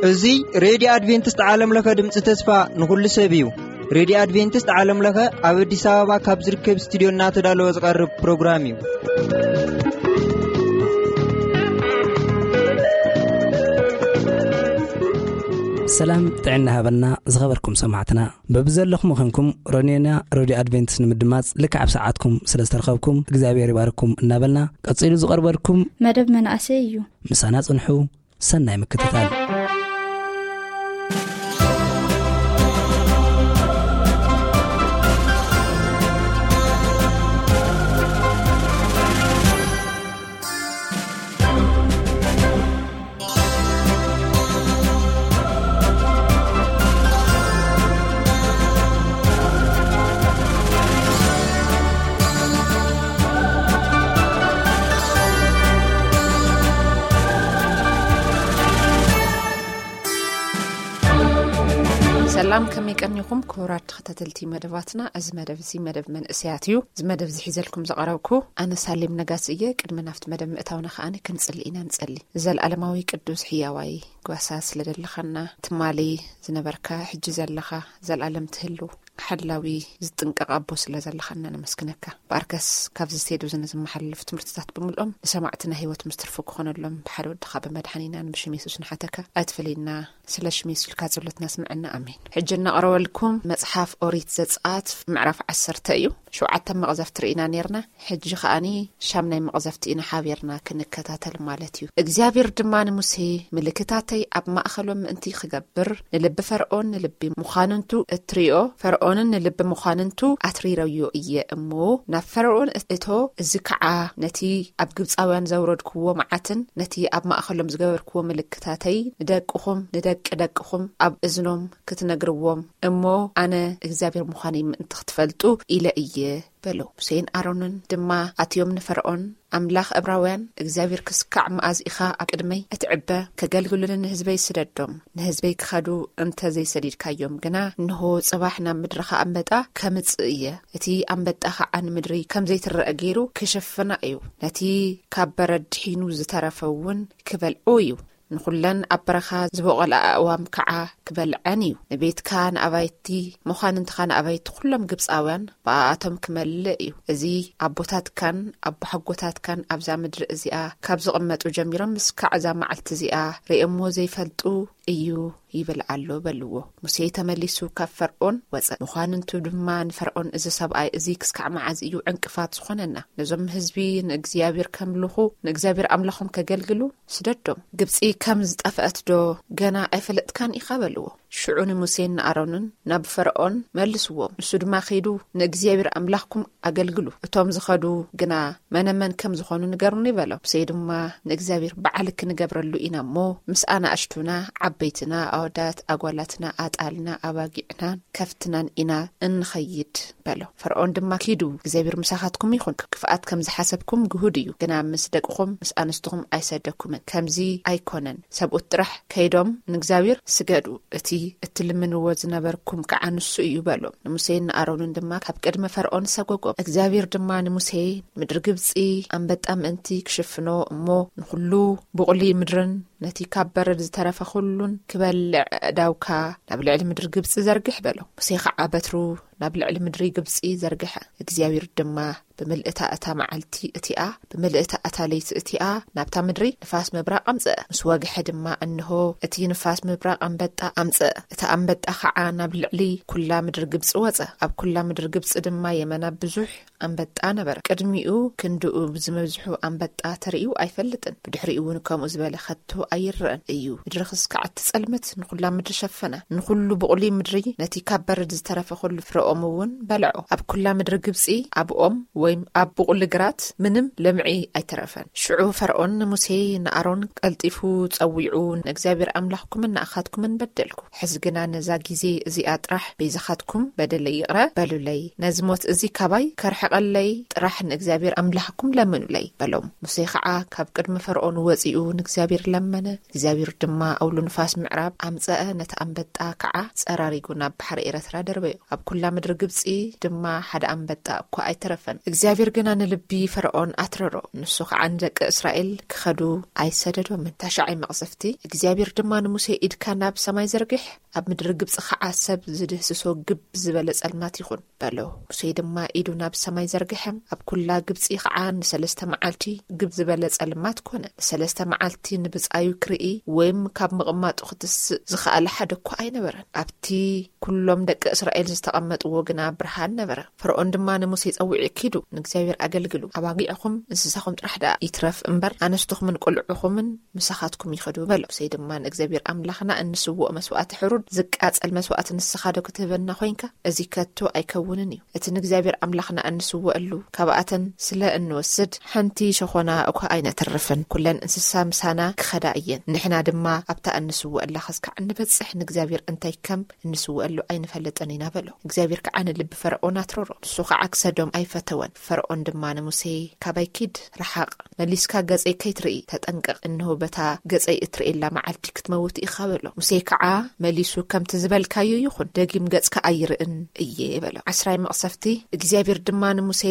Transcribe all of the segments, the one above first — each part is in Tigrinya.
እዚ ሬድዮ ኣድቬንቲስት ዓለም ለኸ ድምፂ ተስፋ ንኹሉ ሰብ እዩ። ሬድዮ ኣድቬንቲስት ዓለም ለኸ ኣብ ኣዲስ ኣበባ ካብ ዝርከብ ስቱዲዮ እናተዳለወ ዝቐርብ ፕሮግራም እዩ። ሰላም ጥዕና ሃበልና ዝኸበርኩም ሰማዕትና። በብዘለኹም ኾንኩም ሮኔና ሬድዮ ኣድቬንቲስት ንምድማፅ ልክዕ ኣብ ሰዓትኩም ስለ ዝተረኸብኩም እግዚኣብሔር ይባርኩም እናበልና፣ ቀጺሉ ዝቐርበልኩም መደብ መናእሰይ እዩ። ምሳና ጽንሑ። ሰናይ ምክትታል። ሰላም፣ ከመይ ቀኒኹም ክቡራት ተኸታተልቲ መደባትና? እዚ መደብ እዚ መደብ መንእሰያት እዩ። እዚ መደብ እዚ ሒዘልኩም ዝቐረብኩ ኣነ ሳሌም ነጋሲ እየ። ቅድሚ ናብቲ መደብ ምእታውና ከኣ ክንጽሊ ኢና። ንጸሊ። ዘልኣለማዊ ቅዱስ ሕያዋይ ጓሳ ስለ ዘለኻና፣ ትማሊ ዝነበርካ፣ ሕጂ ዘለኻ፣ ዘልኣለም ትህልው ሓላዊ ዝጥንቀቕ ኣቦ ስለ ዘለኻና ነመስግነካ። ብኣርከስ ካብዚ ስቴድዮ እዚ ንዝመሓላለፉ ትምህርትታት ብምልኦም ንሰማዕትና ህይወት ምስ ትርፉ ክኾነሎም ብሓደ ወድኻ ብመድሓኒናን ብሽም የሱስ ንሓተካ። ኣይትፈለየና። ስለ ሽም የሱስ ኢልካ ጸሎትና ስምዐና። ኣሜን። ሕጂ እናቕረበልኩም መጽሓፍ ኦሪት ዘጸኣት ምዕራፍ ዓሰርተ እዩ። ሸውዓተ መቕዘፍቲ ርኢና ኔርና። ሕጂ ከኣኒ ሻምናይ መቕዘፍቲ ኢና ሓቢርና ክንከታተል ማለት እዩ። እግዚኣብሔር ድማ ንሙሴ፣ ምልክታተይ ኣብ ማእኸሎም ምእንቲ ክገብር፣ ንልቢ ፈርዖን ንልቢ መዃንንቱ እትሪኦ፣ ፈርዖንን ንልቢ መዃንንቱ ኣትሪረዮ እየ እሞ፣ ናብ ፈርዖን እቶ፣ እዚ ከዓ ነቲ ኣብ ግብፃውያን ዘውረድክዎ መዓትን ነቲ ኣብ ማእኸሎም ዝገበርክዎ ምልክታተይ ንደቅኹም ንደቂ ደቅኹም ኣብ እዝኖም ክትነግርዎም እሞ፣ ኣነ እግዚኣብሔር ምዃነይ ምእንቲ ክትፈልጡ ኢለ እየ በሎ። ሙሴን ኣሮንን ድማ ኣትዮም ንፈርዖን፣ ኣምላኽ እብራውያን እግዚኣብሔር ክስካዕ መኣዝ ኢኻ ኣብ ቅድመይ እትዕበ? ከገልግሉኒ ንህዝበይ ስደዶም። ንህዝበይ ክኸዱ እንተ ዘይሰዲድካዮም ግና፣ እንሆ፣ ጽባሕ ናብ ምድርኻ ኣንበጣ ከምጽእ እየ። እቲ ኣንበጣ ኸዓ ንምድሪ ከም ዘይትረአ ገይሩ ክሽፍና እዩ። ነቲ ካብ በረድ ድሒኑ ዝተረፈ እውን ክበልዑ እዩ። ንኹለን ኣብ በረኻ ዝበቖላ ኣእዋም ከዓ ክበልዐን እዩ። ንቤትካ ንኣባይቲ፣ መዃንንትኻ ንኣባይቲ ኩሎም ግብፃውያን ብኣኣቶም ክመልእ እዩ። እዚ ኣቦታትካን ኣቦሓጎታትካን ኣብዛ ምድሪ እዚኣ ካብ ዝቕመጡ ጀሚሮም እስካዕ እዛ መዓልቲ እዚኣ ርእዮምዎ ዘይፈልጡ እዩ ይብል ኣሎ በልዎ። ሙሴ ተመሊሱ ካብ ፈርዖን ወፀ። መዃንንቱ ድማ ንፈርዖን፣ እዚ ሰብኣይ እዚ ክስካዕ መዓዝ እዩ ዕንቅፋት ዝኾነና? ነዞም ህዝቢ ንእግዚኣብሔር ከምልኹ፣ ንእግዚኣብሔር ኣምላኾም ከገልግሉ ስደዶም። ግብፂ ከም ዝጠፍአት ዶ ገና ኣይፈለጥካን ኢኻ በልዎ። ሽዑ ንሙሴን ንኣሮንን ናብ ፈርዖን መልስዎም። ንሱ ድማ ከይዱ፣ ንእግዚኣብሔር ኣምላኽኩም ኣገልግሉ፣ እቶም ዝኸዱ ግና መነመን ከም ዝኾኑ ንገሩኒ በሎም። ሙሴ ድማ ንእግዚኣብሔር በዓል ክንገብረሉ ኢና እሞ፣ ምስ ኣናእሽቱና፣ ዓበይትና፣ ኣወዳት፣ ኣጓላትና፣ ኣጣልና፣ ኣባጊዕናን ከፍትናን ኢና እንኸይድ በሎ። ፈርዖን ድማ ኪዱ፣ እግዚኣብሔር ምሳኻትኩም ይኹን፣ ክፍኣት ከም ዝሓሰብኩም ግሁድ እዩ፣ ግና ምስ ደቅኹም ምስ ኣንስትኹም ኣይሰደኩምን። ከምዚ ኣይኮነን፣ ሰብኡት ጥራሕ ከይዶም ንእግዚኣብሔር ስገዱ፣ እቲ እትልምንዎ ዝነበርኩም ከዓ ንሱ እዩ በሎም። ንሙሴን ንኣሮንን ድማ ካብ ቅድሚ ፈርዖን ሰጎጎም። እግዚኣብሔር ድማ ንሙሴ፣ ምድሪ ግብፂ ኣንበጣ ምእንቲ ክሽፍኖ እሞ ንኹሉ ብቑሊ ምድርን ነቲ ካብ በረድ ዝተረፈ ኩሉን ክበልዕ ኣእዳውካ ናብ ልዕሊ ምድሪ ግብፂ ዘርግሕ በሎ። ሙሴ ከዓ በትሩ ናብ ልዕሊ ምድሪ ግብፂ ዘርግሐ። እግዚኣብሔር ድማ ብምልእታ እታ መዓልቲ እቲኣ፣ ብምልእታ እታ ለይቲ እቲኣ ናብታ ምድሪ ንፋስ ምብራቕ ኣምፅአ። ምስ ወግሐ ድማ እንሆ እቲ ንፋስ ምብራቕ ኣንበጣ ኣምፅአ። እቲ ኣንበጣ ከዓ ናብ ልዕሊ ኩላ ምድሪ ግብፂ ወፀ። ኣብ ኩላ ምድሪ ግብፂ ድማ የመና ብዙሕ ኣንበጣ ነበረ። ቅድሚኡ ክንድኡ ብዝመዝሑ ኣንበጣ ተርእዩ ኣይፈልጥን። ብድሕሪኡ እውን ከምኡ ዝበለ ከቶ ኣይረአን እዩ። ምድሪ ክስካዕ ትጸልመት፣ ንኹላ ምድሪ ሸፈና። ንኹሉ ብቑሊ ምድሪ፣ ነቲ ካብ በረድ ዝተረፈ ኩሉ ፍረኦም እውን በልዖ። ኣብ ኩላ ምድሪ ግብጺ፣ ኣብ ኦም ወይም ኣብ ብቑሊ ግራት ምንም ለምዒ ኣይተረፈን። ሽዑ ፈርዖን ንሙሴ ንኣሮን ቀልጢፉ ጸዊዑ፣ ንእግዚኣብሔር ኣምላኽኩምን ንኣኻትኩምን በደልኩ። ሕዚ ግና ነዛ ግዜ እዚኣ ጥራሕ በይዛኻትኩም በደለይ ይቕረ በሉለይ፣ ነዚ ሞት እዚ ካባይ ከርሕቐለይ ጥራሕ ንእግዚኣብሔር ኣምላኽኩም ለምኑለይ በሎም። ሙሴ ኸዓ ካብ ቅድሚ ፈርዖን ወጺኡ ንእግዚኣብሔር ለመነ። እግዚኣብሔር ድማ ኣውሎ ንፋስ ምዕራብ ኣምጸአ፣ ነቲ ኣንበጣ ከዓ ጸራሪጉ ናብ ባሕሪ ኤረትራ ደርበዮ። ኣብ ኩላ ምድሪ ግብጺ ድማ ሓደ ኣንበጣ እኳ ኣይተረፈን። እግዚኣብሔር ግና ንልቢ ፈርዖን ኣትረሮ፣ ንሱ ኸዓ ንደቂ እስራኤል ክኸዱ ኣይሰደዶምን። ታሽዓይ መቕሰፍቲ። እግዚኣብሔር ድማ ንሙሴ፣ ኢድካ ናብ ሰማይ ዘርግሕ፣ ኣብ ምድሪ ግብጺ ኸዓ ሰብ ዝድህስሶ ግብ ዝበለ ጸልማት ይኹን በሎ። ሙሴ ድማ ኢዱ ናብ ሰማይ ዘርግሐ፣ ኣብ ኩላ ግብጺ ኸዓ ንሰለስተ መዓልቲ ግብ ዝበለ ጸልማት ኮነ። ንሰለስተ መዓልቲ ንብጻዩ ክርኢ ወይም ካብ ምቕማጡ ክትስእ ዝኸኣለ ሓደ እኳ ኣይነበረን። ኣብቲ ኩሎም ደቂ እስራኤል ዝተቐመጥዎ ግና ብርሃን ነበረ። ፈርዖን ድማ ንሙሴ ጸዊዑ፣ ኪዱ ንእግዚኣብሔር ኣገልግሉ፣ ኣባጊዕኹም እንስሳኹም ጥራሕ ደኣ ይትረፍ እምበር፣ ኣንስትኹምን ቆልዑኹምን ምሳኻትኩም ይኸዱ በሎ። ሙሴ ድማ ንእግዚኣብሔር ኣምላኽና እንስውኦ መስዋእቲ ሕሩድ ዝቃጸል መስዋእቲ ንስኻ ዶ ክትህበና ኮይንካ? እዚ ከቶ ኣይከውንን እዩ። እቲ ንእግዚኣብሔር ኣምላኽና እንስውኣሉ ካብኣተን ስለ እንወስድ ሓንቲ ሸኾና እኳ ኣይነተርፍን። ኩለን እንስሳ ምሳና ክኸዳ እየን። ንሕና ድማ ኣብታ እንስውኣላ ኸስካዕ እንበጽሕ ንእግዚኣብሔር እንታይ ከም እንስውኣሉ ኣይንፈልጥን ኢና በሎ። እግዚኣብሔር ከዓ ንልቢ ፈርዖን ኣትረሮ። ንሱ ከዓ ክሰዶም ኣይፈተወን። ፈርዖን ድማ ንሙሴ፣ ካባይ ኪድ፣ ረሓቕ፣ መሊስካ ገጸይ ከይትርኢ ተጠንቀቕ። እንሆ በታ ገጸይ እትርእየላ መዓልቲ ክትመውት ኢኻ በሎ። ሙሴ ከዓ መሊሱ፣ ከምቲ ዝበልካዮ ይኹን፣ ደጊም ገጽካ ኣይርእን እየ በሎ። ዓስራይ መቕሰፍቲ። እግዚኣብሔር ድማ ንሙሴ፣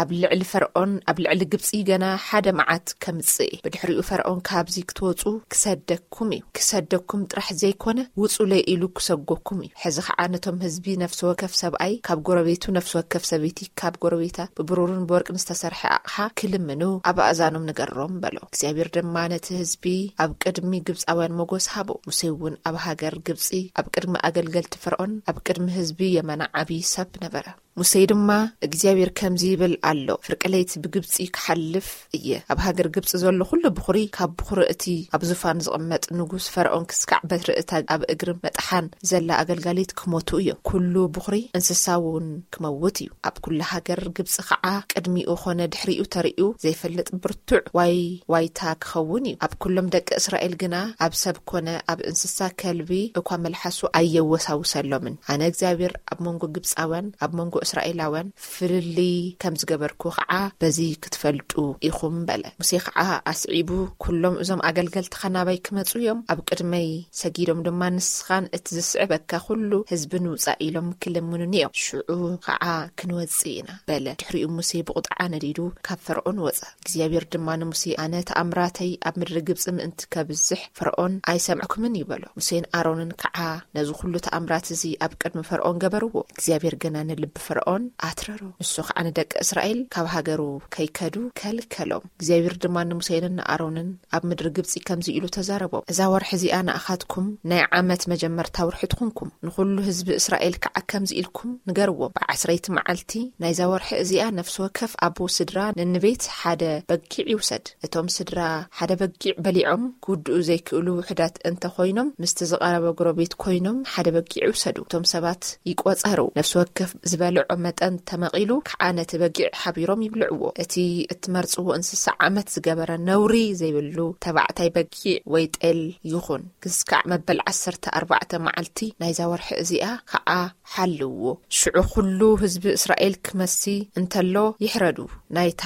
ኣብ ልዕሊ ፈርዖን ኣብ ልዕሊ ግብጺ ገና ሓደ መዓት ከምጽእ እየ። ብድሕሪኡ ፈርዖን ካብዚ ክትወጹ ክሰደኩም እዩ። ክሰደኩም ጥራሕ ዘይኮነ ውጹለይ ኢሉ ክሰጎኩም እዩ። ሕዚ ኸዓ ነቶም ህዝቢ ነፍሲ ወከፍ ሰብኣይ ካብ ጎረቤቱ፣ ነፍሲ ወከፍ ሰበይቲ ካብ ጎረቤታ ብብሩርን ብወርቅን ዝተሰርሐ ኣቕሓ ክልምኑ ኣብ ኣእዛኖም ንገሮም በሎ። እግዚኣብሔር ድማ ነቲ ህዝቢ ኣብ ቅድሚ ግብጻውያን ሞጎስ ሃቦ። ሙሴ እውን ኣብ ሃገር ግብጺ ኣብ ቅድሚ ኣገልገልቲ ፈርዖን ኣብ ቅድሚ ህዝቢ የመና ዓቢ ሰብ ነበረ። ሙሴ ድማ፣ እግዚኣብሔር ከምዚ ይብል ኣሎ፣ ፍርቂ ለይቲ ብግብጺ ክሓልፍ እየ። ኣብ ሃገር ግብጺ ዘሎ ኩሉ ብኹሪ፣ ካብ ብኹሪ እቲ ኣብ ዙፋን ዝቕመጥ ንጉስ ፈርዖን ክስካዕ በትሪ እታ ኣብ እግሪ መጥሓን ዘላ ኣገልጋሊት ክሞቱ እዮም። ኩሉ ብኹሪ እንስሳ እውን ክመውት እዩ። ኣብ ኩሉ ሃገር ግብጺ ኸዓ ቅድሚኡ ኾነ ድሕሪኡ ተርእዩ ዘይፈልጥ ብርቱዕ ዋይ ዋይታ ክኸውን እዩ። ኣብ ኩሎም ደቂ እስራኤል ግና ኣብ ሰብ ኮነ ኣብ እንስሳ ከልቢ እኳ መልሓሱ ኣየወሳውሰሎምን። ኣነ እግዚኣብሔር ኣብ መንጎ ግብጻውያን ኣብ መንጎ እስራኤላውያን ፍልልይ ከም ዝገበርኩ ኸዓ በዚ ክትፈልጡ ኢኹም በለ። ሙሴ ኸዓ ኣስዒቡ፣ ኩሎም እዞም ኣገልገልትኻ ናባይ ክመጹ እዮም፣ ኣብ ቅድመይ ሰጊዶም ድማ ንስኻን እቲ ዝስዕበካ ኩሉ ህዝቢ ንውጻእ ኢሎም ክልምኑኒ እዮም። ሽዑ ኸዓ ክንወጽእ ኢና በለ። ድሕሪኡ ሙሴ ብቑጥዓ ነዲዱ ካብ ፈርዖን ወጸ። እግዚኣብሔር ድማ ንሙሴ፣ ኣነ ተኣምራተይ ኣብ ምድሪ ግብጺ ምእንቲ ከብዝሕ ፈርዖን ኣይሰምዕኩምን እዩ በሎ። ሙሴን ኣሮንን ከዓ ነዚ ኩሉ ተኣምራት እዚ ኣብ ቅድሚ ፈርዖን ገበርዎ። እግዚኣብሔር ግና ንልቢ ፈርዖን ኣትረሮ። ንሱ ከዓ ንደቂ እስራኤል ካብ ሃገሩ ከይከዱ ከልከሎም። እግዚኣብሔር ድማ ንሙሴን ንኣሮንን ኣብ ምድሪ ግብጺ ከምዚ ኢሉ ተዛረቦም፣ እዛ ወርሒ እዚኣ ንኣኻትኩም ናይ ዓመት መጀመርታ ወርሒ ትኹንኩም። ንኹሉ ህዝቢ እስራኤል ከዓ ከምዚ ኢልኩም ንገርዎም፣ ብዓስረይቲ መዓልቲ ናይዛ ወርሒ እዚኣ ነፍሲ ወከፍ ኣቦ ስድራ ነንቤት ሓደ በጊዕ ይውሰድ። እቶም ስድራ ሓደ በጊዕ በሊዖም ክውድኡ ዘይክእሉ ውሑዳት እንተ ኾይኖም፣ ምስቲ ዝቐረበ ጎረቤት ኮይኖም ሓደ በጊዕ ይውሰዱ። እቶም ሰባት ይቆጸሩ። ነፍሲ ወከፍ ዝበልዖ መጠን ተመቒሉ ከዓ ነቲ በጊዕ ሓቢሮም ይብልዕዎ። እቲ እትመርጽዎ እንስሳ ዓመት ዝገበረ ነውሪ ዘይብሉ ተባዕታይ በጊዕ ወይ ጤል ይኹን። ክስካዕ መበል ዓሰርተ ኣርባዕተ መዓልቲ ናይዛ ወርሒ እዚኣ ከዓ ሓልዎ። ሽዑ ኩሉ ህዝቢ እስራኤል ክመሲ እንተሎ ይሕረዱ። ናይታ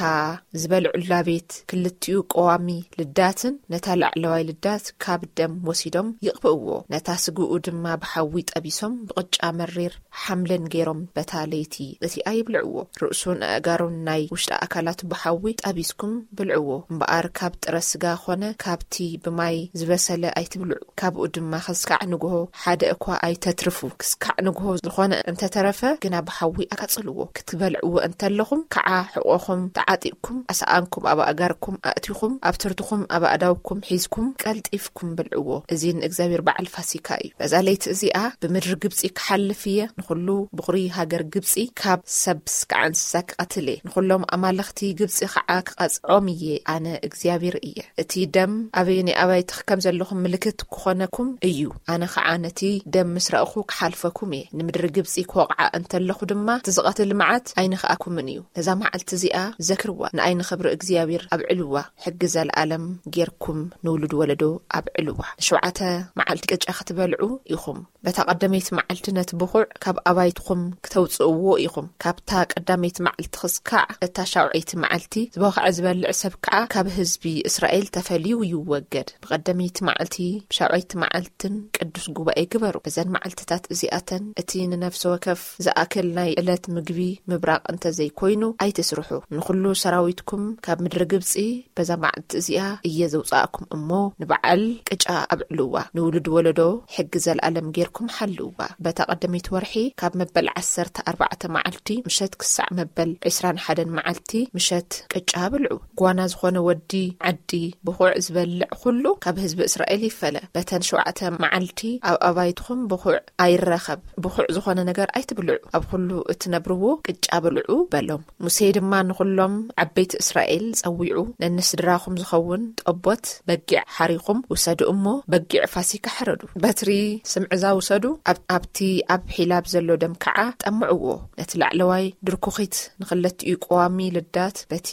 ዝበልዑላ ቤት ክልቲኡ ቀዋሚ ልዳትን ነታ ላዕለዋይ ልዳት ካብ ደም ወሲዶም ይቕብእዎ። ነታ ስግኡ ድማ ብሓዊ ጠቢሶም ብቕጫ መሪር ሓምልን ገይሮም በታ ለይቲ እቲኣ ይብልዕዎ። ርእሱን ኣእጋሩን ናይ ውሽጢ ኣካላቱ ብሓዊ ጠቢስኩም ብልዕዎ። እምበኣር ካብ ጥረ ስጋ ኾነ ካብቲ ብማይ ዝበሰለ ኣይትብልዑ። ካብኡ ድማ ክስካዕ ንግሆ ሓደ እኳ ኣይተትርፉ። ክስካዕ ንግሆ ዝኾነ እንተተረፈ ግና ብሓዊ ኣቃጽልዎ። ክትበልዕዎ እንተለኹም ከዓ ሕቖኹም ተዓጢቕኩም፣ ኣስኣንኩም ኣብ ኣእጋርኩም ኣእቲኹም፣ ኣብ ትርትኹም ኣብ ኣእዳውኩም ሒዝኩም ቀልጢፍኩም ብልዕዎ። እዚ ንእግዚኣብሔር በዓል ፋሲካ እዩ። በዛ ለይቲ እዚኣ ብምድሪ ግብጺ ክሓልፍ እየ። ንኹሉ ብኹሪ ሃገር ግብጺ ካብ ሰብ ስካዕ እንስሳ ክቐትል እየ። ንኹሎም ኣማልኽቲ ግብጺ ኸዓ ክቐጽዖም እየ። ኣነ እግዚኣብሔር እየ። እቲ ደም ኣበየኒ ኣባይቲ ከም ዘለኹም ምልክት ክኾነኩም እዩ። ኣነ ኸዓ ነቲ ደም ምስ ረእኹ ክሓልፈኩም እየ። ንምድሪ ግብጺ ክወቕዓ እንተለኹ ድማ እቲ ዝቐትል መዓት ኣይንኽኣኩምን እዩ። ነዛ መዓልቲ እዚኣ ዘክርዋ፣ ንኣይ ንኽብሪ እግዚኣብሔር ኣብዕልዋ። ሕጊ ዘለኣለም ጌርኩም ንውሉድ ወለዶ ኣብዕልዋ። ንሸውዓተ መዓልቲ ቅጫ ክትበልዑ ኢኹም። በታ ቀደመይቲ መዓልቲ ነቲ ብኹዕ ካብ ኣባይትኹም ክተውጽእዎ ኢኹም። ካብታ ቀዳመይቲ መዓልቲ ክስካዕ እታ ሻውዐይቲ መዓልቲ፣ ዝቦኽዐ ዝበልዕ ሰብ ከዓ ካብ ህዝቢ እስራኤል ተፈልዩ ይወገድ። ብቐደመይቲ መዓልቲ፣ ብሻውዐይቲ መዓልትን ቅዱስ ጉባኤ ግበሩ። በዘን መዓልትታት እዚኣተን እቲ ንነፍሲ ወከፍ ዝኣክል ናይ ዕለት ምግቢ ምብራቕ እንተዘይኮይኑ ኣይትስርሑ። ንኹሉ ሰራዊትኩም ካብ ምድሪ ግብጺ በዛ መዓልቲ እዚኣ እየ ዘውጻእኩም እሞ፣ ንበዓል ቅጫ ኣብዕልዋ፣ ንውሉድ ወለዶ ሕጊ ዘልኣለም ጌርኩም ሓልውዋ። በታ ቀደመይቲ ወርሒ ካብ መበል ዓሰርተ ኣርባዕተ መዓልቲ ምሸት ክሳዕ መበል ዕስራን ሓደን መዓልቲ ምሸት ቅጫ ብልዑ። ጓና ዝኾነ ወዲ ዓዲ ብኹዕ ዝበልዕ ኩሉ ካብ ህዝቢ እስራኤል ይፈለ። በተን ሸውዓተ መዓልቲ ኣብ ኣባይትኹም ብኹዕ ኣይረኸብ፣ ብኹዕ ዝኾነ ነገር ኣይትብልዑ፣ ኣብ ኩሉ እትነብርዎ ቅጫ ብልዑ በሎም። ሙሴ ድማ ንኹሎም ዓበይቲ እስራኤል ጸዊዑ፣ ነንስድራኹም ዝኸውን ጠቦት በጊዕ ሓሪኹም ውሰዱ እሞ፣ በጊዕ ፋሲካ ሕረዱ። በትሪ ስምዕዛ ውሰዱ፣ ኣብ-፣ ኣብቲ ኣብ ሒላብ ዘሎ ደም ከዓ ጠምዕዎ። ነቲ ላዕለዋይ ድርኩኺት ንኽለቲኡ ቀዋሚ ልዳት በቲ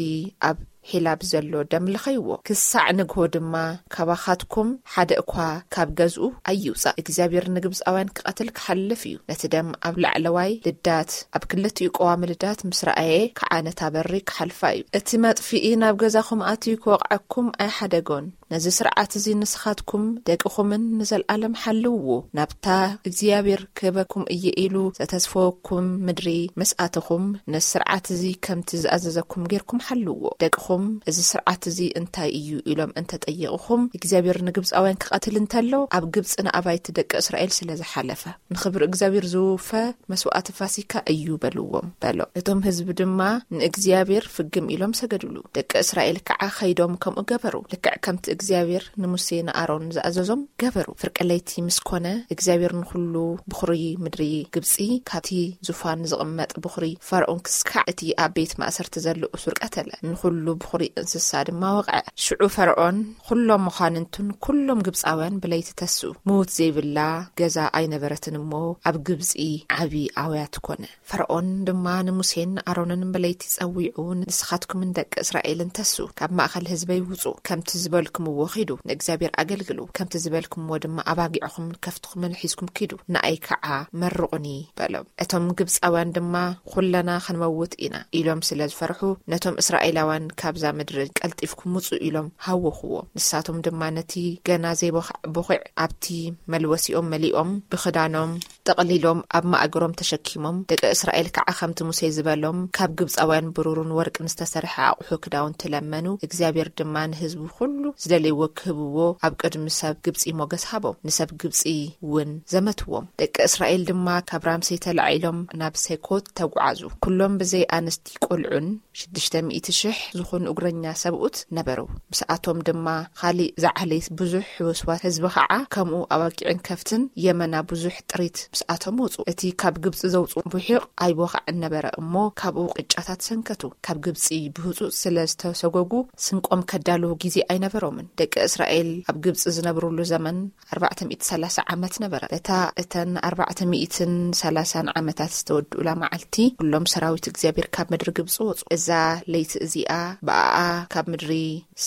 ኣብ ሒላብ ዘሎ ደም ልኸይዎ። ክሳዕ ንግሆ ድማ ካባኻትኩም ሓደ እኳ ካብ ገዝኡ ኣይውጻእ። እግዚኣብሔር ንግብጻውያን ክቐትል ክሓልፍ እዩ። ነቲ ደም ኣብ ላዕለዋይ ልዳት፣ ኣብ ክልቲኡ ቀዋሚ ልዳት ምስ ረኣየ ከዓ ነታ በሪ ክሓልፋ እዩ። እቲ መጥፍኢ ናብ ገዛኹም ኣትዩ ክወቕዐኩም ኣይሓደጎን። ነዚ ስርዓት እዚ ንስኻትኩም ደቅኹምን ንዘልኣለም ሓልውዎ። ናብታ እግዚኣብሔር ክህበኩም እየ ኢሉ ዘተስፈወኩም ምድሪ ምስ ኣተኹም፣ ነዚ ስርዓት እዚ ከምቲ ዝኣዘዘኩም ጌርኩም ሓልውዎ። ደቅኹም፣ "እዚ ስርዓት እዚ እንታይ እዩ?" ኢሎም እንተጠየቑኹም፣ እግዚኣብሔር ንግብጻውያን ክቐትል እንተሎ፣ ኣብ ግብጺ ንኣባይቲ ደቂ እስራኤል ስለ ዝሓለፈ፣ ንኽብሪ እግዚኣብሔር ዝውፈ መስዋእቲ ፋሲካ እዩ በልዎም፣ በሎ። እቶም ህዝቢ ድማ ንእግዚኣብሔር ፍግም ኢሎም ሰገዱሉ። ደቂ እስራኤል ከዓ ኸይዶም ከምኡ ገበሩ። ልክዕ ከምቲ እግዚኣብሔር ንሙሴ ንኣሮን ዝኣዘዞም ገበሩ። ፍርቂ ለይቲ ምስ ኮነ፣ እግዚኣብሔር ንኹሉ ብኹሪ ምድሪ ግብጺ፣ ካብቲ ዙፋን ዝቕመጥ ብኹሪ ፈርዖን ክስካዕ፣ እቲ ኣብ ቤት ማእሰርቲ ዘሎ እሱር ቀተለ። ንኹሉ ብኹሪ እንስሳ ድማ ወቕዐ። ሽዑ ፈርዖን፣ ኩሎም መኳንንቱን ኩሎም ግብጻውያን ብለይቲ ተስኡ። ምዉት ዘይብላ ገዛ ኣይነበረትን እሞ፣ ኣብ ግብጺ ዓቢ ኣውያት ኮነ። ፈርዖን ድማ ንሙሴን ኣሮንን ብለይቲ ጸዊዑ፣ "ንስኻትኩምን ደቂ እስራኤልን ተሱ፣ ካብ ማእከል ህዝበይ ውጹ፣ ከምቲ ዝበልኩምዎ ኺዱ፣ ንእግዚኣብሔር ኣገልግሉ፣ ከምቲ ዝበልኩምዎ ድማ ኣባጊዕኹምን ከፍትኹምን ሒዝኩም ኪዱ፣ ንኣይ ከዓ መርቑኒ" በሎም። እቶም ግብጻውያን ድማ፣ "ኵለና ኽንመውት ኢና" ኢሎም ስለ ዝፈርሑ፣ ነቶም እስራኤላውያን፣ "ካብዛ ምድሪ ቀልጢፍኩም ውጹ" ኢሎም ሃወኽዎም። ንሳቶም ድማ ነቲ ገና ዘይቦኽዐ ቦኺዕ ኣብቲ መልወሲኦም መሊኦም፣ ብኽዳኖም ጠቕሊሎም ኣብ ማእገሮም ተሸኪሞም፣ ደቂ እስራኤል ከዓ ከምቲ ሙሴ ዝበሎም ካብ ግብጻውያን ብሩርን ወርቅን ዝተሰርሐ ኣቑሑ ክዳውንቲ ለመኑ። እግዚኣብሔር ድማ ንህዝቡ ኩሉ ዝደለይዎ ክህብዎ ኣብ ቅድሚ ሰብ ግብጺ ሞገስ ሃቦም። ንሰብ ግብጺ እውን ዘመትዎም። ደቂ እስራኤል ድማ ካብ ራምሴ ተላዒሎም ናብ ሴኮት ተጓዓዙ። ኩሎም ብዘይ ኣንስቲ ቆልዑን ሽዱሽተ ሚእቲ ሽሕ ዝኾኑ እግረኛ ሰብኡት ነበሩ። ምስኣቶም ድማ ኻሊእ ዝዓሌት ብዙሕ ሕውስዋስ ህዝቢ ኸዓ፣ ከምኡ ኣባጊዕን ከፍትን የመና ብዙሕ ጥሪት ምስኣቶም ወጹ። እቲ ካብ ግብጺ ዘውጽኡ ቡሒቕ ኣይቦኻዕን ነበረ እሞ፣ ካብኡ ቅጫታት ሰንከቱ። ካብ ግብጺ ብህጹጽ ስለ ዝተሰጎጉ፣ ስንቆም ከዳልዉ ግዜ ኣይነበሮምን። ደቂ እስራኤል ኣብ ግብጺ ዝነብሩሉ ዘመን ኣርባዕተ ሚእቲ ሰላሳ ዓመት ነበረ። በታ እተን ኣርባዕተ ሚእትን ሰላሳን ዓመታት ዝተወድኡላ መዓልቲ፣ ኩሎም ሰራዊት እግዚኣብሔር ካብ ምድሪ ግብጺ ወጹ። እዛ ለይቲ እዚኣ ብኣኣ ካብ ምድሪ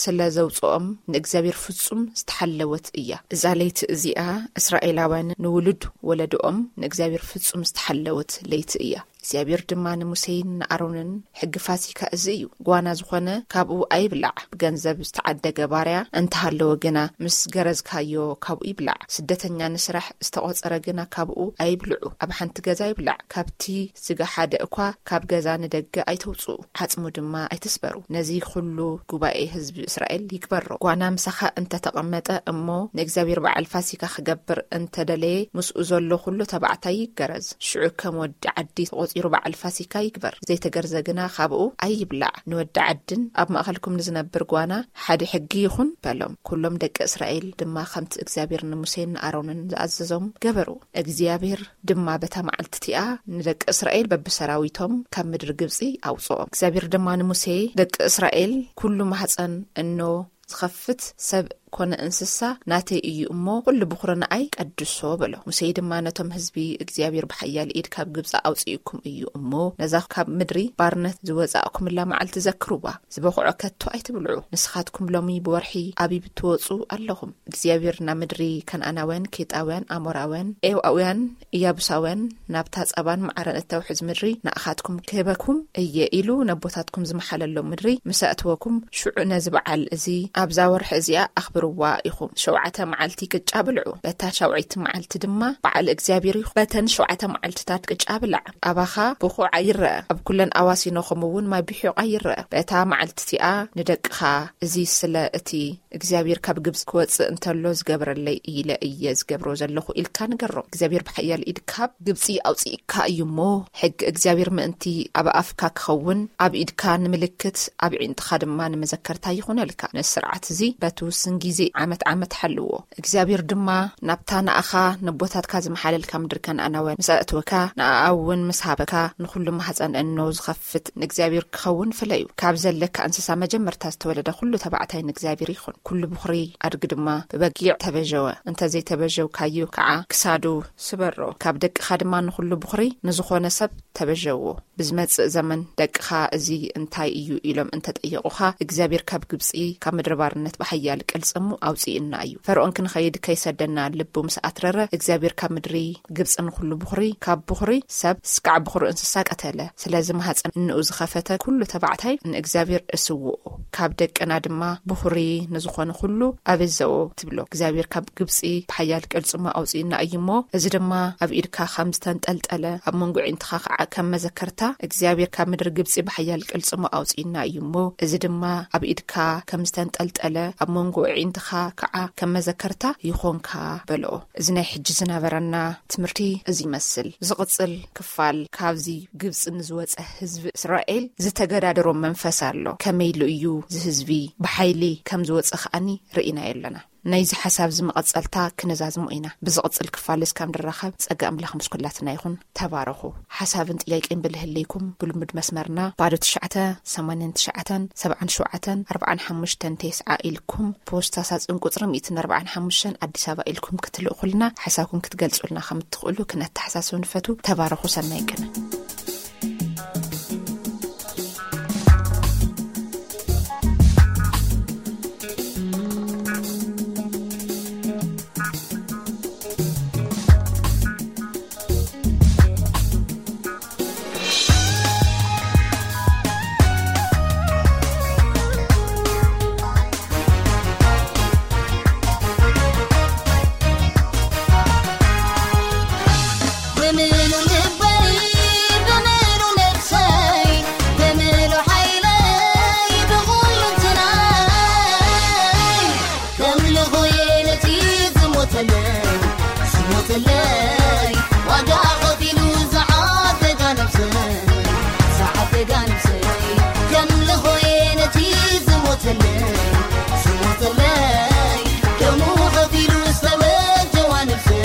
ስለ ዘውጽኦም ንእግዚኣብሔር ፍጹም ዝተሓለወት እያ። እዛ ለይቲ እዚኣ እስራኤላውያን ንውሉድ ወለዶኦም ንእግዚኣብሔር ፍጹም ዝተሓለወት ለይቲ እያ። እግዚኣብሔር ድማ ንሙሴን ንኣሮንን፣ "ሕጊ ፋሲካ እዚ እዩ፣ ጓና ዝኾነ ካብኡ ኣይብላዕ፣ ብገንዘብ ዝተዓደገ ባርያ እንተሃለወ ግና ምስ ገረዝካዮ ካብኡ ይብላዕ፣ ስደተኛ ንስራሕ ዝተቖጸረ ግና ካብኡ ኣይብልዑ፣ ኣብ ሓንቲ ገዛ ይብላዕ፣ ካብቲ ስጋ ሓደ እኳ ካብ ገዛ ንደገ ኣይተውጽኡ፣ ዓጽሙ ድማ ኣይትስበሩ። ነዚ ኩሉ ጉባኤ ህዝቢ እስራኤል ይግበሮ። ጓና ምሳኻ እንተተቐመጠ እሞ ንእግዚኣብሔር በዓል ፋሲካ ክገብር እንተደለየ፣ ምስኡ ዘሎ ኩሉ ተባዕታይ ይገረዝ። ሽዑ ከም ወዲ ዓዲ ተቖጺሩ በዓል ፋሲካ ይግበር። ዘይተገርዘ ግና ካብኡ ኣይብላዕ። ንወዲ ዓድን ኣብ ማእከልኩም ንዝነብር ጓና ሓደ ሕጊ ይኹን" በሎም። ኩሎም ደቂ እስራኤል ድማ ከምቲ እግዚኣብሔር ንሙሴን ንኣሮንን ዝኣዘዞም ገበሩ። እግዚኣብሔር ድማ በታ መዓልቲ እቲኣ ንደቂ እስራኤል በብሰራዊቶም ካብ ምድሪ ግብጺ ኣውጽኦም። እግዚኣብሔር ድማ ንሙሴ፣ "ደቂ እስራኤል ኩሉ ማህጸን እኖ ዝኸፍት ሰብ ኮነ እንስሳ ናተይ እዩ እሞ፣ ኩሉ ብኹሪ ንኣይ ቀድሶ በሎ። ሙሴ ድማ ነቶም ህዝቢ፣ እግዚኣብሔር ብሓያል ኢድ ካብ ግብፂ ኣውፅእኩም እዩ እሞ፣ ነዛ ካብ ምድሪ ባርነት ዝወፃእኩምላ መዓልቲ ዘክርዋ። ዝበኹዖ ከቶ ኣይትብልዑ። ንስኻትኩም ሎሚ ብወርሒ ኣቢብ ትወፁ ኣለኹም። እግዚኣብሔር ናብ ምድሪ ከነኣናውያን፣ ኬጣውያን፣ ኣሞራውያን፣ ኤውኣውያን፣ ኢያቡሳውያን፣ ናብታ ጸባን መዓረን እተውሕዝ ምድሪ ንኣኻትኩም ክህበኩም እየ ኢሉ ነቦታትኩም ዝመሓለሎም ምድሪ ምስ ኣእትወኩም፣ ሽዑ ነዚ በዓል እዚ ኣብዛ ወርሒ እዚኣ ኣኽብርዋ ኢኹም። ሸውዓተ መዓልቲ ቅጫ ብልዑ፣ በታ ሻውዓይቲ መዓልቲ ድማ በዓል እግዚኣብሔር ይኹን። በተን ሸውዓተ መዓልትታት ቅጫ ብላዕ፣ ኣባኻ ብኹዕ ኣይረአ፣ ኣብ ኩለን ኣዋሲኖኹም እውን ማይ ብሒቕ ኣይረአ። በታ መዓልቲ እቲኣ ንደቅኻ፣ እዚ ስለ እቲ እግዚኣብሔር ካብ ግብፂ ክወፅእ እንተሎ ዝገበረለይ ኢለ እየ ዝገብሮ ዘለኹ ኢልካ ንገሮም። እግዚኣብሔር ብሓያል ኢድ ካብ ግብፂ ኣውፅእካ እዩ እሞ፣ ሕጊ እግዚኣብሔር ምእንቲ ኣብ ኣፍካ ክኸውን፣ ኣብ ኢድካ ንምልክት፣ ኣብ ዒንጥኻ ድማ ንመዘከርታ ይኹነልካ። ነዚ ስርዓት እዚ በቲ ውስን ግዜ ዓመት ዓመት ሓልዎ። እግዚኣብሔር ድማ ናብታ ንኣኻ ነቦታትካ ዝመሓለልካ ምድሪ ከነኣናውያን ምስ ኣእትወካ፣ ንኣኣ እውን ምስ ሃበካ፣ ንኹሉ ማሕፀን እኖ ዝኸፍት ንእግዚኣብሔር ክኸውን ፍለዩ። ካብ ዘለካ እንስሳ መጀመርታ ዝተወለደ ኩሉ ተባዕታይ ንእግዚኣብሔር ይኹን። ኩሉ ብኹሪ ኣድጊ ድማ ብበጊዕ ተበጀወ። እንተ ዘይተበጀውካዩ ከዓ ክሳዱ ስበሮ። ካብ ደቅኻ ድማ ንኹሉ ብኹሪ ንዝኾነ ሰብ ተበጀዎ። ብዝመጽእ ዘመን ደቅኻ እዚ እንታይ እዩ ኢሎም እንተጠየቑኻ፣ እግዚኣብሔር ካብ ግብጺ፣ ካብ ምድሪ ባርነት ብሓያል ቅልጽሙ ኣውጽእና እዩ። ፈርዖን ክንኸይድ ከይሰደና ልቡ ምስ ኣትረረ፣ እግዚኣብሔር ካብ ምድሪ ግብጺ ንኹሉ ብኹሪ፣ ካብ ብኹሪ ሰብ እስካዕ ብኹሪ እንስሳ ቀተለ። ስለዚ ማህፀን እንኡ ዝኸፈተ ኩሉ ተባዕታይ ንእግዚኣብሔር እስውኦ፣ ካብ ደቅና ድማ ብኹሪ ንዝኾነ ኩሉ ኣበዘዎ ትብሎ። እግዚኣብሔር ካብ ግብጺ ብሓያል ቅልጽሙ ኣውጽእና እዩ እሞ፣ እዚ ድማ ኣብ ኢድካ ከም ዝተንጠልጠለ፣ ኣብ መንጎ ኣዒንትኻ ከዓ ከም መዘከርታ፣ እግዚኣብሔር ካብ ምድሪ ግብጺ ብሓያል ቅልጽሙ ኣውጽእና እዩ እሞ፣ እዚ ድማ ኣብ ኢድካ ከም ዝተንጠልጠለ፣ ኣብ መንጎ ኣዒንትኻ ከዓ ከም መዘከርታ ይኾንካ በልኦ። እዚ ናይ ሕጂ ዝነበረና ትምህርቲ እዚ ይመስል። ዝቕጽል ክፋል ካብዚ ግብጺ ንዝወጸ ህዝቢ እስራኤል ዝተገዳደሮ መንፈስ ኣሎ። ከመይ ኢሉ እዩ እዚ ህዝቢ ብሓይሊ ከም ዝወጸ ከኣኒ ርኢናዮ ኣለና። ናይዚ ሓሳብ እዚ መቐጸልታ ክነዛዝሞ ኢና። ብዝቕጽል ክፋል እስካብ ንራኸብ ጸጋ ኣምላኽ ምስ ኩላትና ይኹን። ተባረኹ። ሓሳብን ጥያቄን ብልህለይኩም ብልሙድ መስመርና ባዶ ትሽዓተ ሰማንያን ትሽዓተን ሰብዓን ሸውዓተን ኣርብዓን ሓሙሽተን ተስዓ ኢልኩም ፖስታ ሳጽን ቁጽሪ ሚእትን ኣርብዓን ሓሙሽተን ኣዲስ ኣበባ ኢልኩም ክትልእኹልና ሓሳብኩም ክትገልጹልና ከም እትኽእሉ ክነተሓሳስብ ንፈቱ። ተባረኹ። ሰናይ ቅነ። ብምሉ ልበይ፣ ብምሉ ነፍሰይ፣ ብምሉ ሓይለይ፣ ብኹሉ እንትናይ ከምልኾ እየ ነቲ ዝሞተለይ፣ ዝሞተለይ፣ ዋጋ ከፊሉ ዝዓደጋ ነፍሰይ፣ ዝዓደጋ ነፍሰይ። ከምልኾ እየ ነቲ ዝሞተለይ፣ ዝሞተለይ፣ ደሙ ከፊሉ ዝተበጀዋ ነፍሰይ፣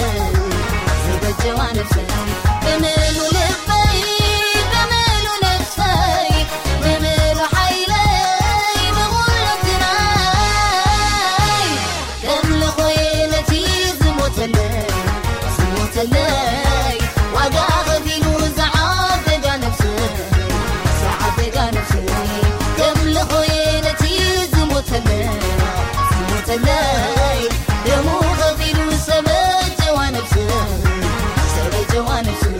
ዝበጀዋ ነፍሰይ። ብምሉ ልበይ፣ ብምሉ ነፍሰይ፣ ብምሉ ሓይለይ፣ ብኹሉ እንትናይ ከምልኾ እየ ነቲ ዝሞተለይ፣ ዝሞተለይ፣ ዋጋ ከፊሉ ዝዓደጋ ነፍሰይ፣ ዝዓደጋ ነፍሰይ። ከምልኾ እየ ነቲ ዝሞተለይ፣ ዝሞተለይ፣ ደሙ ከፊሉ ዝተበጀዋ ነፍሰይ፣ ዝተበጀዋ ነፍሰይ።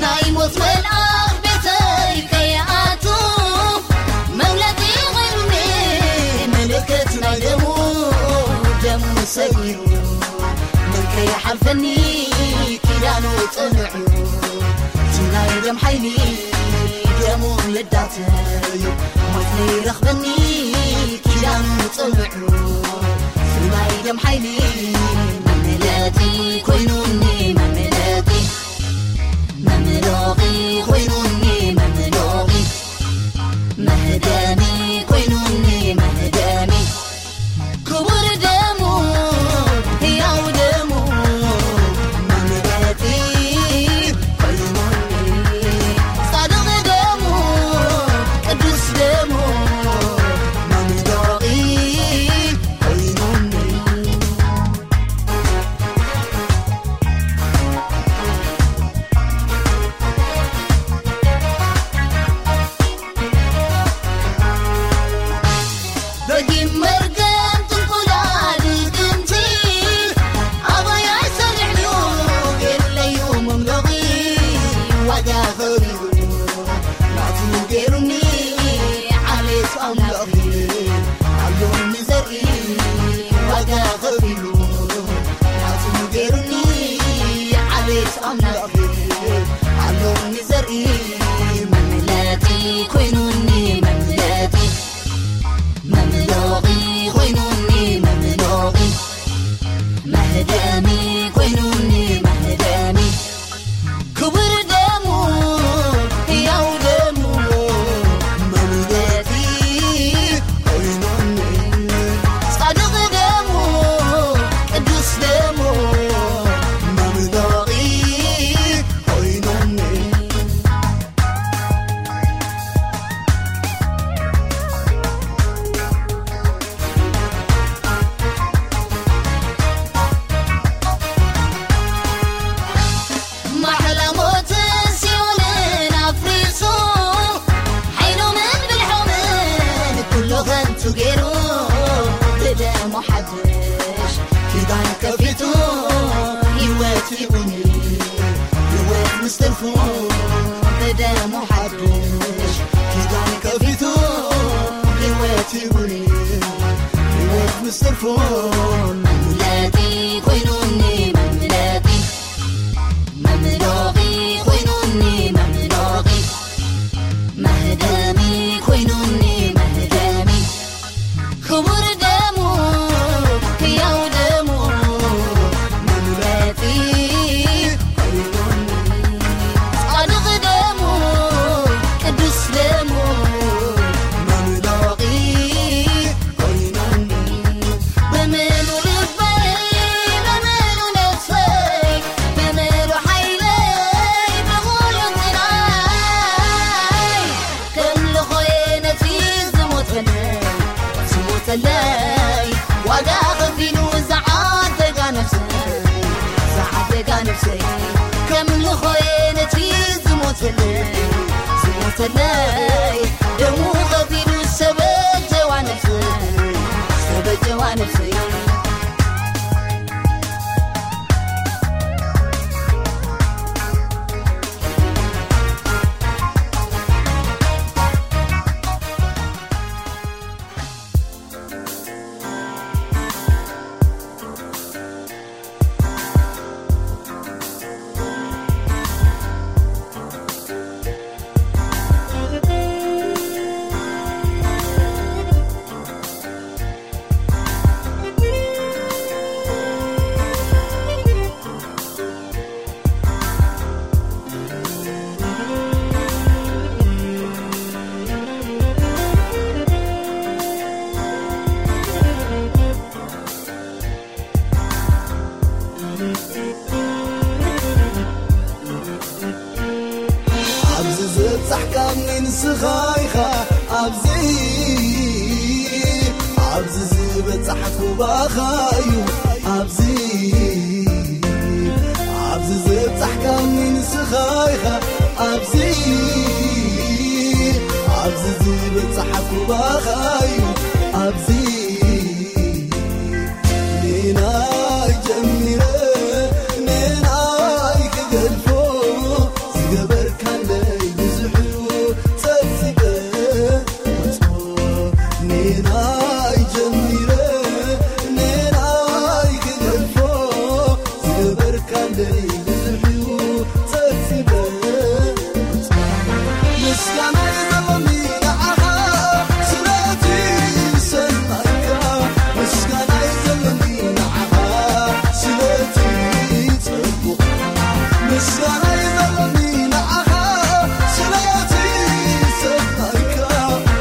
ናይ ሞት መልኣኽ ቤተይ ከይኣቱ፣ መምለጢ ኾይኑኒ ምልክት ናይ ደሙ፣ ደሙ ሰጊሩ ምን ከይሓልፈኒ ኪዳኑ ጽኑዕ እዩ። እቲ ናይ ደም ሓይሊ ደሙ ልዳተይ፣ ሞት ለይረኽበኒ ኪዳኑ ጽኑዕ እዩ። እቲ ናይ ደም ሓይሊ መምለጢ ኮይኑኒ፣ መምለጢ፣ መምለጢ ኮይኑኒ፣ መምለጢ፣ መህደሚ ኮይኑኒ፣ መህደሚ። ክቡር ደሙ፣ ህያው ደሙ፣ ገይሩ ብደሙ ሓድሽ ኪዳን ከፊቱ ህይወት ሂቡኒ። ህይወት ምስ ትርፉ ብደሙ ሓድሽ ኪዳን ከፊቱ ህይወት ሂቡኒ። ህይወት ምስ ትርፉ መምለጢ ኮይኑኒ፣ መምለጢ መምሎቒ ኮይኑኒ፣ መምሎቒ መህደሚ ኮይኑኒ፣ መህደሚ ክቡር ደሙ፣ ህያው ደሙ መምለጢ ኮይኑኒ፣ ጻድቕ ደሙ፣ ቅዱስ ደሙ መምሎቒ ኮይኑኒ፣ ብምሉ ልበይ፣ ብምሉ ነፍሰይ፣ ብምሉ ሓይለይ፣ ብምሉ ጥራይ ከምልኾየ ነቲ ዝሞተለይ፣ ዝሞተለይ፣ ዋጋ ከፊሉ ዝዓደጋ ነፍሰይ፣ ዝዓደጋ ነፍሰይ። ከምልኾየ ነቲ ዝሞተለይ፣ ዝሞተለይ፣ ደሙ ከፊሉ ዝተበጀዋ ነፍሰይ፣ ዝተበጀዋ ነፍሰይ። ኣብዚ ዝበጻሕካኒ ንስኻ ኢኻ፣ ኣብዚ፣ ኣብዚ ዝበጻሕኩ ባኻ እዩ፣ ኣብዚ፣ ኣብዚ ዝበጻሕካኒ ንስኻ ኢኻ፣ ኣብዚ፣ ኣብዚ ዝበጻሕኩ ባኻ እዩ፣ ኣብዚ። ኔናይ ጀሚረ ኔናይ ክገድፎ፣ ዝገበርካለይ ብዙሕ እዩ ጸብጺበ። ኔናይ ጀሚረ ኔናይ ክገድፎ፣ ዝገበርካለይ ብዙሕ እዩ ጸብጺበ። ምስጋናይ ዘለኒ ንዓኻ ስለቲ ሰናይካ፣ ምስጋናይ ዘለኒ ንዓኻ ስለቲ ጽቡቕ፣ ምስጋናይ ዘለኒ ንዓኻ ስለቲ ሰናይካ፣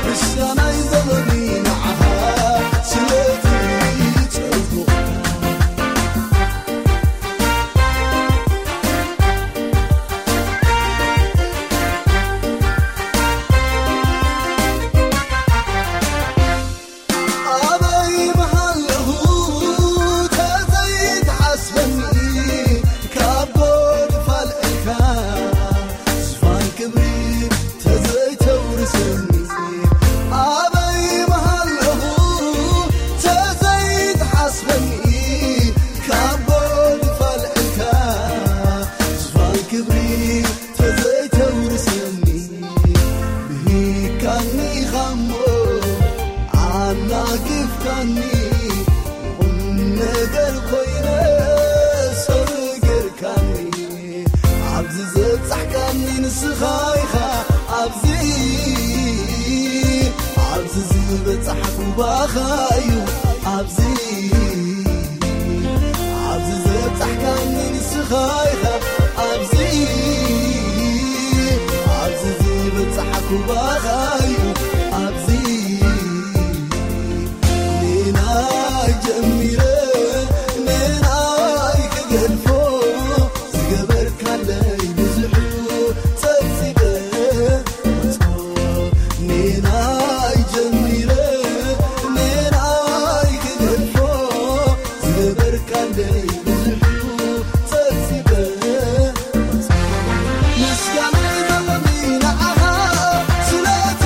ምስጋናይ ዘለኒ ንዓኻ ስለቲ ጽቡቕ። ኣበይ ምሃለኹ ተዘይትሓስበኒ፣ ካብ ጎድፋል እልካ ዝፋን ክብሪ ተዘይተውርሰኒ፣ ኣበይ ምሃለኹ ተዘይትሓስበኒ፣ ካብ ጎድፋል እልካ ዝፋን ክብሪ ተዘይተውርሰኒ፣ ብሂካኒ ኢኻሞ ኣናጊፍካኒ፣ ቁም ነገር ኮይነ ሰገርካኒ። ኣብዚ ዘብጻሕካኒ ንስኻ ኢኻ፣ ኣብዚ፣ ኣብዚ ዝበጻሕኩ ባኻ እዩ፣ ኣብዚ፣ ኣብዚ ዘብጻሕካኒ ንስኻ ኢኻ፣ ኣብዚ፣ ኣብዚ ዝበጻሕኩ ባኻ እዩ፣ ኣብዚ። ኔናይ ጀሚረ ኔናይ ክገድፎ፣ ዝገበርካለይ ብዙሕ እዩ ጸብጺበ። ኔናይ ጀሚረ ኔናይ ክገድፎ፣ ዝገበርካለይ ብዙሕ እዩ ጸብጺበ። ምስጋና ይዘለኒ ንዓኻ ስለቲ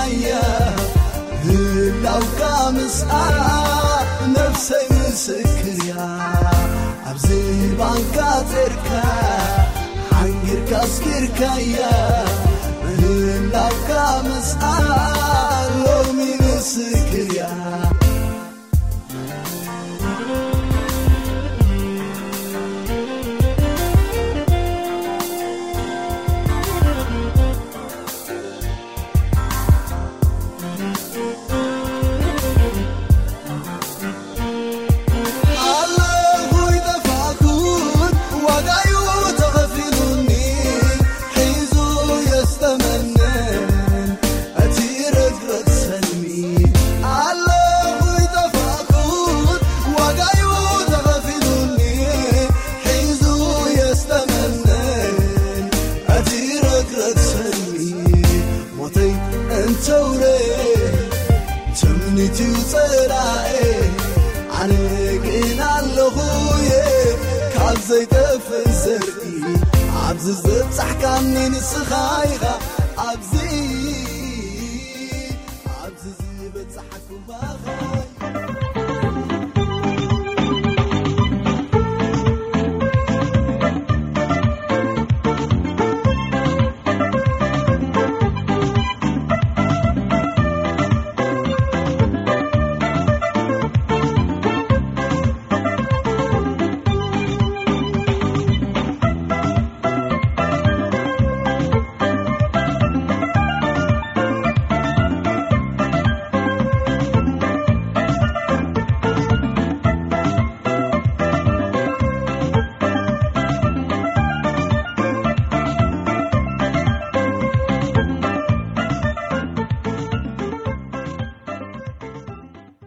እያ ህላውካ ምስኣ ነፍሰይ ምስክር እያ። ኣብዚ ባንካ ጸርካ ሓንጊርካ ኣስኪርካያ። ህላውካ ምስኣ ሎሚ ምስክር እያ። ኣለኹ ይጠፋእኩን ዋጋዩ ተኸፊሉኒ፣ ሒዙ የስተመንን እቲ ረግረግ ሰልሚ። ኣለኹ ይጠፋእኩን ዋጋዩ ተኸፊሉኒ፣ ሒዙ የስተመንን እቲ ረግረግ ሰልሚ። ሞተይ እንተውረ ትምኒት እዩ ጸላኤ፣ ኣነ ግን ኣለኹ እየ ካብ ዘይጠፍእ ዘርኢ። ኣብዚ ዝበጻሕካኒ ንስኻ ኢኻ፣ ኣብዚ፣ ኣብዚ ዝበጻሕኩ ባኻ።